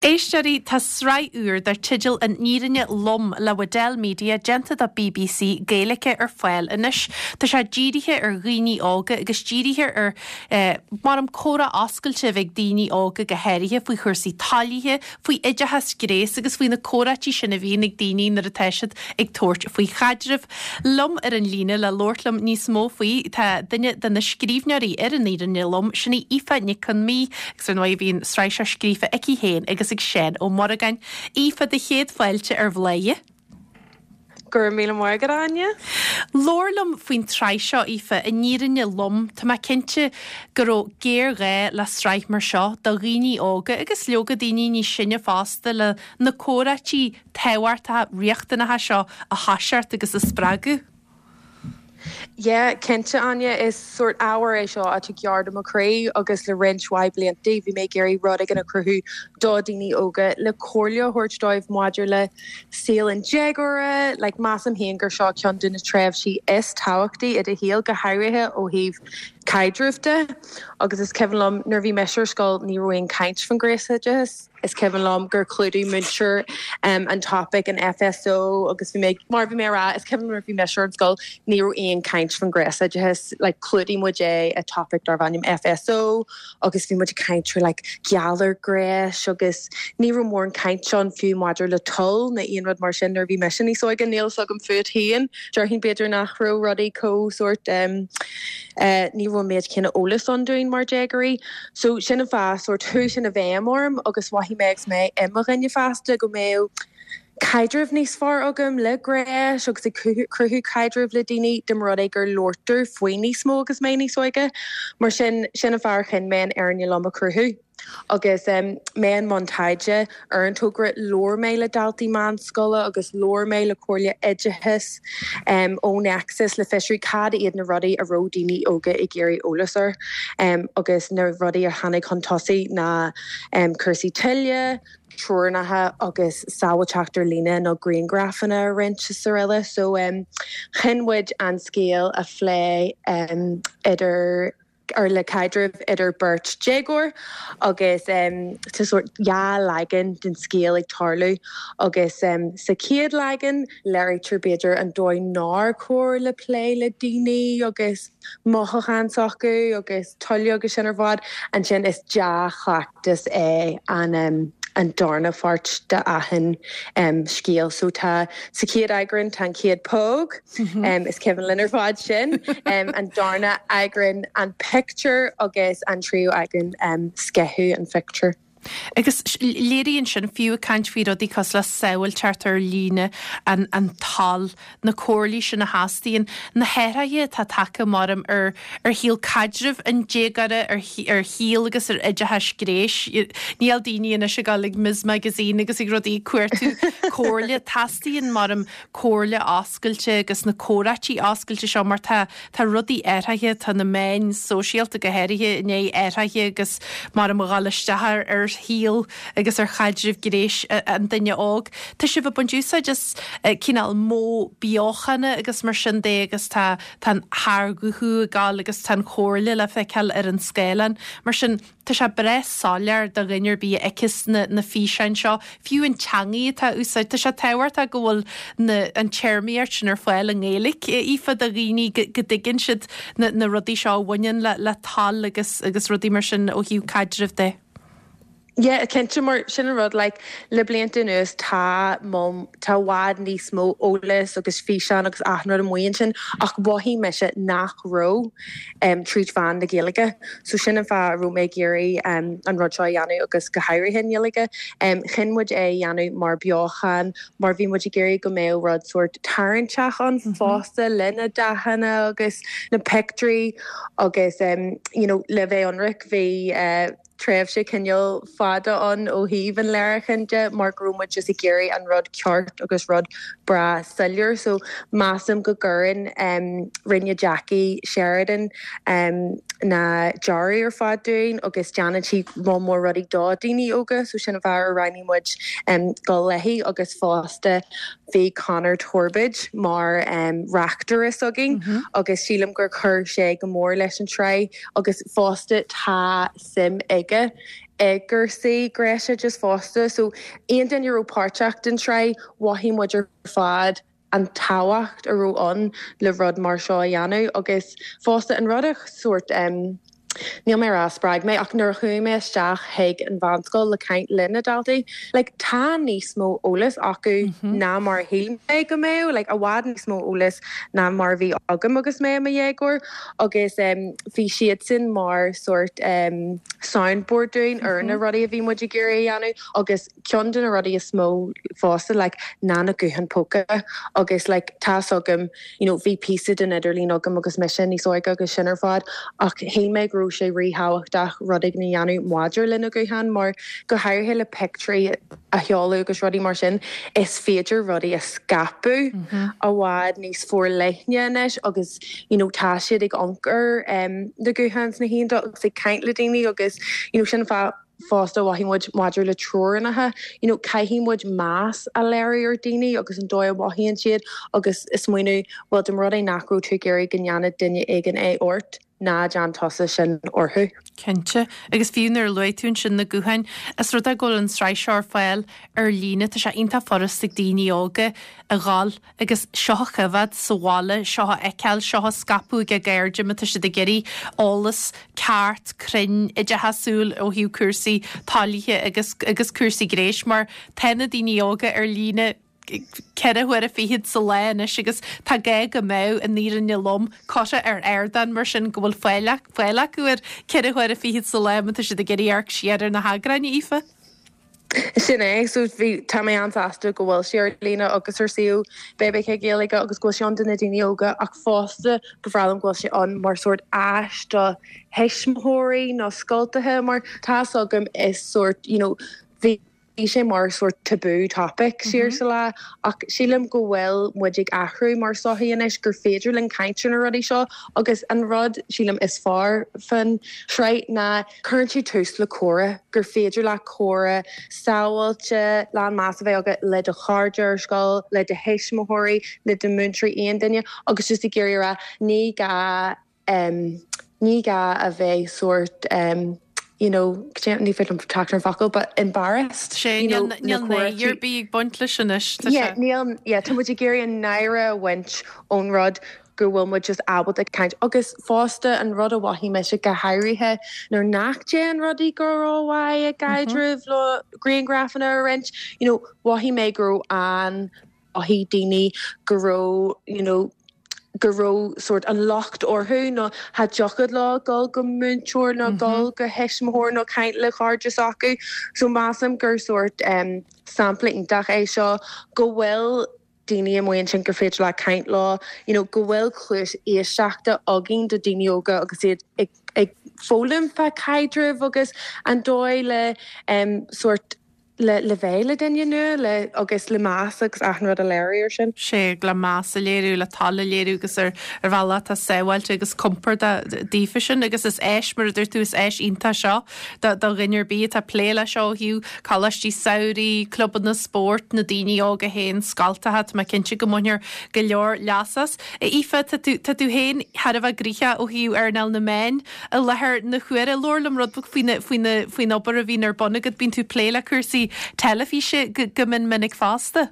Éisteoirí, tá sraith úr dar teideal An Fhírinne Lom le Waddell Media déanta do bbc Gaeilge ar fáil anois. Tá sé dírithe ar dhaoine óga agus dírithe ar, maram, comhrá oscailte a bheith ag daoine óga go háirithe faoi chúrsaí toilithe, faoi oideachas gnéis agus faoi na comhráití sin a bhíonn ag daoine nuair atá siad ag tabhairt faoi chaidreamh. Liom ar an líne le labhairt liom níos mó faoi tá duine de na scríbhneoirí ar An Fhírinne Lom, sin í Aoife Nic Con Midhe. Agus ar ndóigh bhí an tsraith seo scríofa aici féin agus ag Seán Ó Muireagáin. Aoife, do chéad fáilte ar Bhladhaire. Go raibh míle maith agat, a Áine. Labhair liom faoin tsraith seo, Aoife, An Fhírinne Lom. Tá mé cinnte go raibh géarghá le sraith mar seo do dhaoine óga agus leoga daoine níos sine fosta le na comhráití tábhachtacha riachtanacha seo a thoiseacht agus a spreagadh. Yeah, cinnte, Áine, is sórt ábhar é seo atá gearr do mo chroí agus le roinnt mhaith blianta bhí mé ag iarraidh rud éigin a chruthú do dhaoine óga le comhairle a thabhairt dóibh maidir le saol an déagóra. Like, measaim féin gur seo ceann de na tréimhsí is tábhachtaí i do shaol, go háirithe ó thaobh caidrimh de. Agus is cuimhin liom nuair a bhí mise ar scoil ní raibh aon caint faoin ghnéasoideachas. Is cuimhin liom gur chlúdaigh múinteoir an topaic in FSO agus bhí mé, mar bhí mé a rá, is cuimhin nuair a bhí mise ar an scoil ní raibh aon caint faoin ghnéasoideachas, like chlúdaigh muid é i topaic darbh ainm FSO agus bhí muid ag caint ar like galar gnéis agus ní raibh mórán caint ann fiú maidir le toil nó aon rud mar sin nuair a bhí mise níos óige, níl fhios agam fút féin, déarfainn b'fhéidir nach raibh rudaí chomh sórt eh ní raibh an méid céanna eolas ann dúinn mar déagóirí. So sin an fáth, sórt, chuaigh sin i bhfeidhm orm agus mhothaigh mé agus mé i mo dhuine fásta go mbeadh caidreamh níos fearr agam le gnéas agus ag cruthú caidreamh le daoine dá mba rud é gur labhartar faoi níos mó agus mé níos óige. Mar sin, sin an fáth ar chinn mé an Fhírinne Lom a chruthú. Agus mé i mbun taighde ar an togra, labhair mé le daltaí meánscoile agus labhair mé le Comhairle Oideachais ó Nexus le fiosrú cad iad na rudaí a raibh daoine óga ag iarraidh eolas air agus na rudaí a tháinig chun tosaigh ná cúrsaí toile, treoracha agus sábháilteacht ar líne nó grianghrafanna a roinnt is araile. So chinn muid an scéal a phlé idir. ar le caidreamh idir beirt déagóir agus tá sórt dhá leagan den scéal ag tarlú agus sa chéad leagan léirítear b'fhéidir an dóigh nár chóir le plé le daoine agus mothúcháin s'acu agus toiliú agus sin ar fad. Ansin is dea-chleachtas é an an darna pháirt de achan scéal. So tá sa chéad eagrán tá an chéad póg. Is cuimhin linn ar fad sin. An darna eagrán an pictiúr agus an tríú eagrán sceitheadh an phictiúir. Agus léiríonn sin, fiú ag caint faoi rudaí cosúil le sábháilteacht ar líne, an an toil, na comhairlí sin a theastaíonn, na hathruithe atá tagtha maram ar ar shaol caidrimh an déagóra, ar ar shaol agus ar oideachas gnéis. Níl daoine anois ag dul ag Ms Magazine agus ag rudaí ag cuartú comhairle. Teastaíonn maram comhairle oscailte agus na comhráití oscailte seo mar tá, tá rudaí athraithe, tá na meáin sóisialta go háirithe i ndiaidh athraithe agus maram a dhul isteach ar, ar shaol agus ar chaidreamh gnéis an duine óg. Tá sibh ag baint úsáid as cineál modh beochana agus mar sin de agus tá, tá an t-ardghuthú ag gabháil agus tá an chomhairle le feiceáil ar an scáileán. Mar sin, Tá sé breá soiléir do dhuine ar bith a fheiceas na na físeáin seo, fiú an teangaidh atá á úsáid. Tá sé tábhachtach go bhfuil na an téarmaíocht sin ar fáil i nGaeilge, Aoife, do dhaoine go go dtuigeann siad na na rudaí seo a bhaineann le le toil agus agus rudaí mar sin ó thaobh caidrimh de. Yeah, cinnte, mar sin an rud, like, le blianta anuas tá mó, tá i bhfad níos mó eolas agus físeán agus achan rud amuigh ansin ach mhothaigh mise nach raibh. tríd mheán na Gaeilge. So sin an fáth a raibh mé ag iarraidh an rud seo a dhéanamh agus go háirithe i nGaeilge. Chinn muid é a dhéanamh mar beochan mar bhí muid ag iarraidh go mbeadh rud sórt tarraingteach ann fosta le na dathanna agus na pictiúirí agus you know le bheith ionraic bhí tréimhse cineál fada ann ó thaobh an léiriúcháin de mar go raibh muid just ag iarraidh an rud ceart agus rud breá soiléir. So measaim go gcuireann, rinne Jackie Sheridan na dearaí ar fad dúinn agus déanann sí moll mór rudaí do daoine óga so sin an fáth ar roghnaigh muid dul léi agus fosta bhí Conor Torbóid mar reachtaire s'againn agus sílim gur chuir sé go mór leis an tsraith agus fosta tá suim aige. I gcúrsaí gnéasoideachais fosta. So aon duine a raibh páirteach den tsraith, mhothaigh muid ar fad an tábhacht a raibh ann le rud mar seo a dhéanamh agus fosta an rud a sórt em níl mé a rá spreag mé ach nuair a chuaigh mé isteach chuig an mheánscoil le caint le na daltaí like tá níos mó eolas acu ná mar a shíl mé go mbeadh, like i bhfad níos mó eolas ná mar a bhí agam agus mé i mo dhéagóir agus em bhí siadsan mar sórt em soundboard dúinn ar na rudaí a bhí muid ag iarraidh a dhéanamh agus ceann de na rudaí is mó fosta like ná na gutháin póca agus like tá's agam you know bhí píosa den idirlíon agam agus mise níos óige agus sin ar fad ach shíl mé go raibh sé ríthábhachtach rud éigin a dhéanamh maidir le na gutháin mar go háirithe le pictiúirí a sheoladh agus rudaí mar sin, is féidir rudaí a scaipeadh i bhfad níos forleithne anois agus you know tá siad ag amharc ar na gutháin sna haon agus ag caint le daoine agus you know sin an fáth fosta a mhothaigh muid maidir le teorainneacha, you know caithfidh muid meas a léiriú ar daoine agus an dóigh a mhothaíonn siad agus smaoineamh bhuel dá mba rud é nach raibh tú ag iarraidh go ndéanfadh duine éigin é ort, ná déan tusa sin orthu. Cinnte. Agus fiú nuair a luaigh tú ansin na gutháin, is rud é go bhfuil an tsraith seo ar fáil ar líne, tá sé iontach furast ag daoine óga a dhul agus seo a choimhéad sa bhaile, seo a fheiceáil, seo a scaipeadh ag a gcairde má tá siad ag iarraidh eolas ceart, cruinn, oideachasúil ó thaobh cúrsaí toilithe agus agus cúrsaí gnéis mar tá na daoine óga ar líne 4 huaire fichead sa lá anois agus tá gá go mbeadh an fhírinne lom curtha ar ardán mar sin go bhfuil fáil fáil acu air 4 huaire fichead sa lá má tá siad ag iarraidh amharc siar ar na heagráin, a Aoife. Sin é, so bhí, tá mé an-sásta go bhfuil sé ar líne agus ar suíomh BBC Gaeilge agus go bhfuil sé ann do na daoine óga ach fosta ba bhreá liom go bhfuil sé ann mar sórt áis do thuismitheoirí nó scoltaithe mar tá's agam is sórt, you know, bhí Bhí sé mar sórt taboo topic siar sa lá ach sílim go bhfuil muid ag athrú mar sochaí anois gur féidir linn caint ar na rudaí seo agus an rud sílim is fearr fán tsraith ná cuireann sé tús le comhrá, gur féidir leat comhrá sábháilte, lán meas a bheith agat le do chairde ar scoil, le do thuismitheoirí, le do mhúinteoirí, aon duine agus just ag iarraidh a rá ní gá Ní gá a bheith sórt you know, ní féidir liom teacht ar an focal, but embarrassed. Sé, you know, níl náire ar bith ag baint leis anois. Yeah, níl, yeah, tá muid ag iarraidh an náire a bhaint ón rud go bhfuil muid just ábalta caint. Agus fosta an rud a mhothaigh mise go háirithe nuair nach dtéann rudaí go rómhaith i gcaidreamh le grianghrafanna a roinnt, you know, mhothaigh mé go raibh an mhothaigh daoine go raibh, you know, go raibh sórt an locht orthu nó cha dtiocfadh leo dul go múinteoir nó dul go thuismitheoir nó caint le cairde s'acu. So measaim gur sórt em sampla iontach é seo go bhfuil daoine amuigh ansin gur féidir leat caint leo, you know, go bhfuil cluas éisteachta againn do daoine óga agus iad ag ag foghlaim fá caidrimh agus an dóigh le em sórt le le bheith le duine nua, le agus le meas agus achan rud a léiriú ar sin. Sea, le meas a léiriú, le toil a léiriú agus ar ar bhealach atá sábháilte agus compordach daofa sin agus is áis, mar a dúirt tú, is áis iontach seo do do dhuine ar bith atá ag plé leis seo ó thaobh coláistí samhraidh, clubanna spóirt, na daoine óga féin, scoltacha, tá mé cinnte go mbainfear go leor leas as. A Aoife, tá tú tá tú féin thar a bheith gnoitheach ó thaobh earnáil na meán. I láthair na huaire, labhair liom rud beag faoina, faoina, faoin obair a bhíonn ar bun agat. Bíonn tú ag plé le cúrsaí teilifíse go, go mion minic fosta.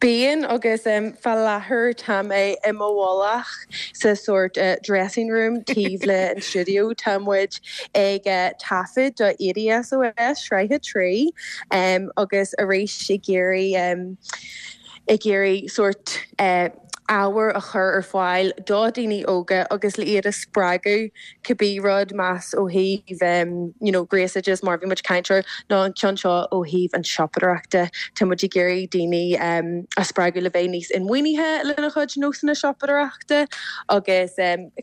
Bíonn, agus fá láthair tá mé i mo mhullach sa sórt dressing room taobh le an stiúideo. Tá muid ag taifead do 80 SOS, sraith 3, agus arís ag iarraidh, ag iarraidh sórt ábhar a chur ar fáil do dhaoine óga agus le iad a spreagadh cibé rud más ó thaobh you know gnéasoideachas mar a bhí muid ag caint air nó an ceann seo ó thaobh an siopadóireachta. Tá muid ag iarraidh daoine a spreagadh le bheith níos inmhuanaithe lena chuid nósanna siopadóireachta agus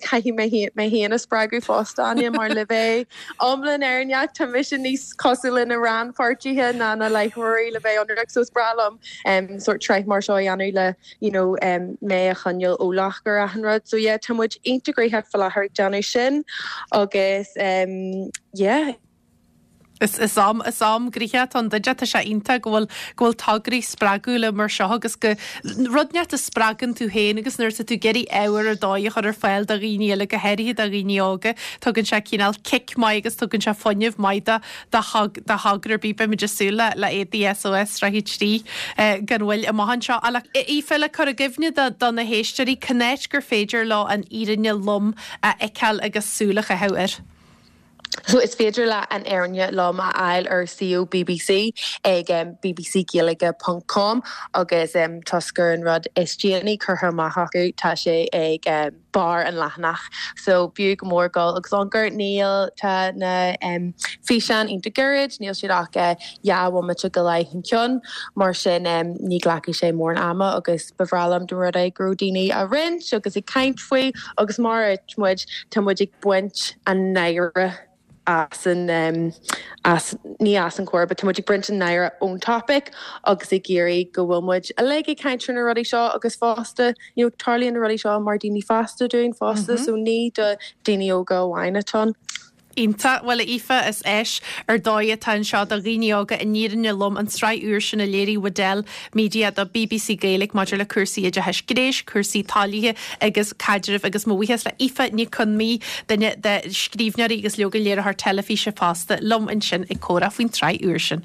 caithfidh mé mé féin a spreagadh fosta Áine mar le bheith iomlán fhírinneach tá mise níos cosúil le na rannpháirtithe ná na láithreoirí le bheith ionraic so is breá liom sórt sraith mar seo a dhéanamh le you know mé a choinneáil eolach ar achan rud. So yeah tá muid iontach gnoitheach faoi láthair ag déanamh sin agus yeah. Is is am is am gnoitheach atá ann duit. Tá sé iontach go bhfuil go bhfuil tograí spreagúla mar seo agus go rud inteacht a spreagann tú féin agus nuair atá tú ag iarraidh ábhar ar dóigh a chur ar fáil do dhaoine eile, go háirithe do dhaoine óga, tugann sé cineál cic maith agus tugann sé fuinneamh maith do do do thogra ar bith. Beimid ag súil le le Éadaí SOS Sraith 3 gan mhoill amach anseo. Ach Aoife, le cur i gcuimhne do do na héisteoirí, cá háit gur féidir leo an fhírinne lom a fheiceáil agus súil a chaitheamh air? So is féidir leat an fhírinne lom a fháil ar suíomh bbc ag bbcgaeilge ponc com agus toisc gur an rud is déanaí curtha amach acu tá sé ag barr an leathanach. So b'fhiú go mór dul agus amharc. Níl, tá na físeáin iontach gairid, níl siad ach 2 bhomaite go leith an ceann, mar sin ní ghlacfaidh sé mórán ama agus ba bhreá liom dá mba rud é go raibh daoine á roinnt agus ag caint faoi agus mar a dúirt muid, tá muid ag baint an náire as an, as, ní as an chomhrá, but tá muid ag baint an náire ón topic agus ag iarraidh go bhfuil muid uilig ag caint ar na rudaí seo agus fosta, you know, tarlaíonn na rudaí seo mar daoine fásta dúinn fosta, so ní do daoine óga amháin atá ann. Iontach. Bhuel, a Aoife, is áis ar dóigh atá anseo do dhaoine óga an fhírinne lom, an tsraith úr sin a léirigh Waddell Media do bbc Gaeilge maidir le cúrsaí oideachais gnéis, cúrsaí toilithe agus caidrimh agus mo bhuíochas le Aoife Nic Con Midhe, duine de scríbhneoirí agus leoga léiritheoir teilifíse fosta, liom ansin ag comhrá faoin tsraith úr sin.